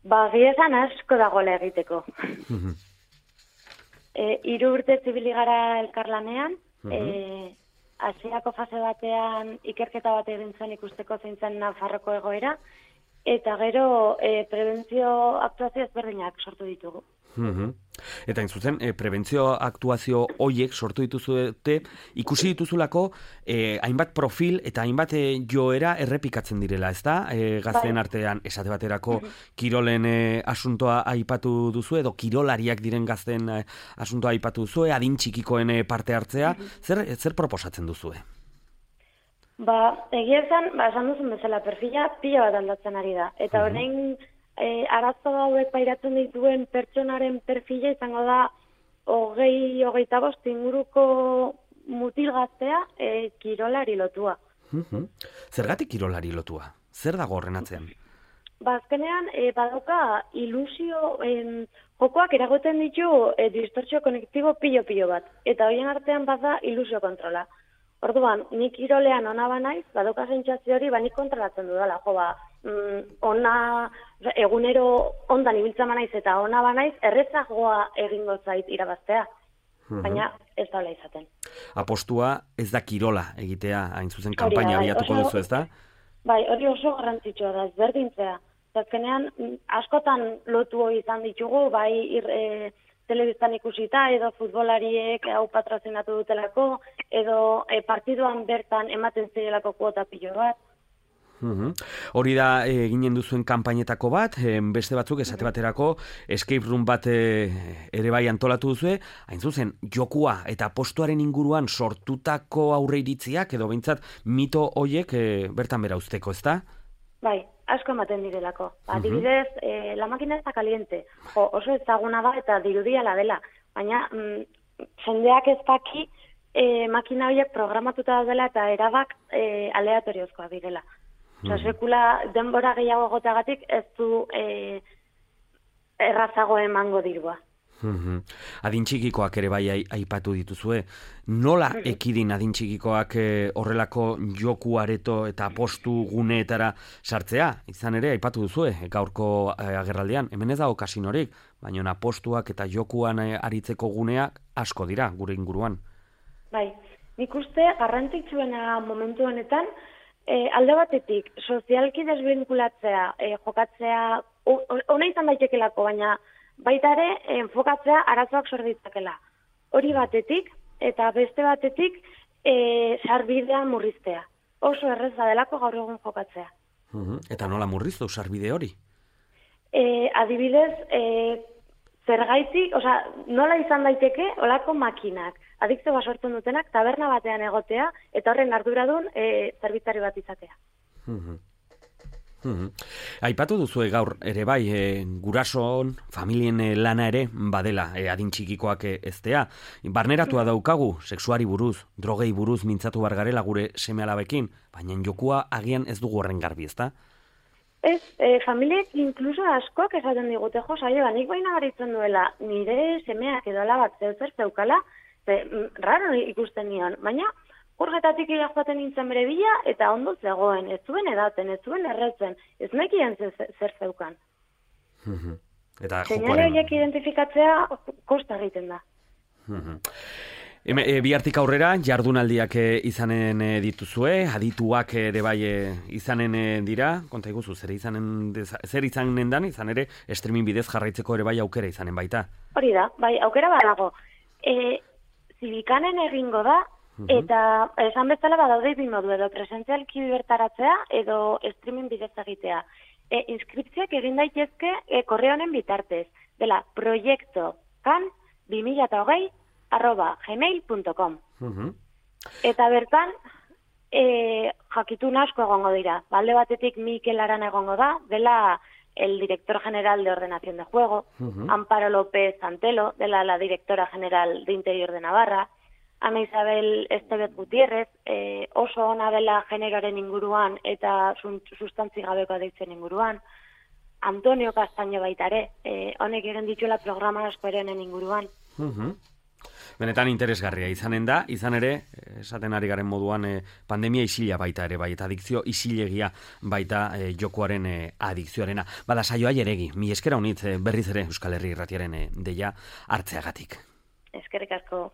Egia esan asko dagoela egiteko. 3 urte zibili gara elkarlanean, hasierako fase batean ikerketa bat egin zen ikusteko zein zen Nafarroko egoera, eta gero prebentzio aktuazio ezberdinak sortu ditugu. Eta zuzen, prebentzio aktuazio hoiek sortu dituzute, ikusi dituzulako hainbat profil eta hainbat joera errepikatzen direla, ezta? Gazteen artean, esate baterako, kirolen asuntoa aipatu duzu, edo kirolariak diren gazteen asuntoa aipatu duzu, adin txikikoen parte hartzea, zer proposatzen duzue? Egia esan duzun bezala, perfila pila bat aldatzen ari da, eta orain arazo hauek pairatzen dituen pertsonaren perfila izango da 20-25 inguruko mutil gaztea kirolari lotua. Zergatik kirolari lotua? Zer dago horren atzean? Azkenean, badauka ilusio, jokoak eragoten ditu distortzio konektibo pilo bat, eta horien artean bada ilusio kontrola. Orduan, nik kirolean ona banaiz, badauka sentsazio hori, nik kontrolatzen dudala, egunero ondan ibiltzen banaiz eta ona banaiz, errezagoa egingo zait irabaztea, baina ez da hola izaten. Apostua ez da kirola egitea, hain zuzen kanpaina abiatuko duzu, ez da? Bai, hori oso garrantzitsua da, ezberdintzea. Azkenean, askotan lotu izan ditugu, bai telebistan ikusita, edo futbolariek hau patrozinatu dutelako, edo partiduan bertan ematen zirelako kuota pilo bat. Hori da eginen duzuen kanpainetako bat, beste batzuk esate baterako escape room bat ere bai antolatu duzue, hain zuzen, jokua eta postuaren inguruan sortutako aurreiritziak, edo behintzat mito hoiek bertan bera uzteko, ez da? Bai, asko ematen direlako. Adibidez, la máquina está caliente. Oso ezaguna da eta dirudiala dela. Baina, jendeak ez daki makina horiek programatuta dela eta erabak aleatoriozkoa direla. Sekula denbora gehiago egoteagatik ez du errazago emango dirua. Adin txikikoak ere bai aipatu dituzue. Nola ekidin adin txikikoak horrelako joku areto eta postu guneetara sartzea? Izan ere, aipatu duzue, gaurko agerraldian. Hemen ez dago kasinorik, baina postuak eta jokuan aritzeko guneak asko dira, gure inguruan. Bai, nik uste garrantzitsuena momentu honetan, alde batetik, sozialki desbinkulatzea, jokatzea, ona izan daitekelako, baina baita ere, enfokatzea arazoak sor ditzakela. Hori batetik, eta beste batetik, sarbidean murriztea. Oso erreza delako gaur egun jokatzea. Eta nola murriztu sarbide hori? Adibidez, zergaitik, nola izan daiteke olako makinak, adikzioa sortzen dutenak, taberna batean egotea, eta horren arduradun zerbitzari bat izatea. Aipatu duzue gaur ere bai, gurasoon, familien lana ere badela adin txikikoak eztea. Barneratua daukagu, sexuari buruz, drogei buruz mintzatu bargarela gure seme-alabekin, baina jokua agian ez dugu horren garbi, ezta? Ez, familiek inkluso askoak esaten digute, nik baina garitzen duela, nire semeak edo alabak zer zeukala, raro ikusten nion, baina urgetatik joaten nintzen bere bila, eta ondo zegoen, ez zuen edaten, ez zuen erretzen, ez nekien zer zeukan. Seinale horiek identifikatzea kosta egiten da. Bihartik aurrera, jardunaldiak izanen dituzue, adituak ere bai izanen dira, konta iguzu, zer izanen dan, izan ere, streaming bidez jarraitzeko ere bai aukera izanen baita. Hori da, bai, aukera badago. Zibikanen egingo da, eta esan bezala badaude bi modu, edo presentzialki bertaratzea, edo streaming bidez egitea. Inskripzioak egin daitezke korreo honen bitartez, dela proiekto.kan2020@gmail.com. Eta bertan, jakitun asko egongo dira. Alde batetik Mikel Arana egongo da, dela el director general de Ordenación de Juego, Amparo López Antelo, dela la directora general de Interior de Navarra, Ana Isabel Estebet Gutiérrez, oso ona dela generoaren inguruan eta sustantzi gabeko deitzen inguruan, Antonio Castaño baita ere, honek egin dituela programa asko eren inguruan. Benetan interesgarria izanen da, izan ere, esaten ari garen moduan pandemia isila baita ere, bai, eta adikzio isilegia baita jokoaren adikzioarena. Bada, Saioa Jeregi, mi eskera honitz berriz ere Euskal Herri Irratiaren deia hartzeagatik. Eskerrik asko.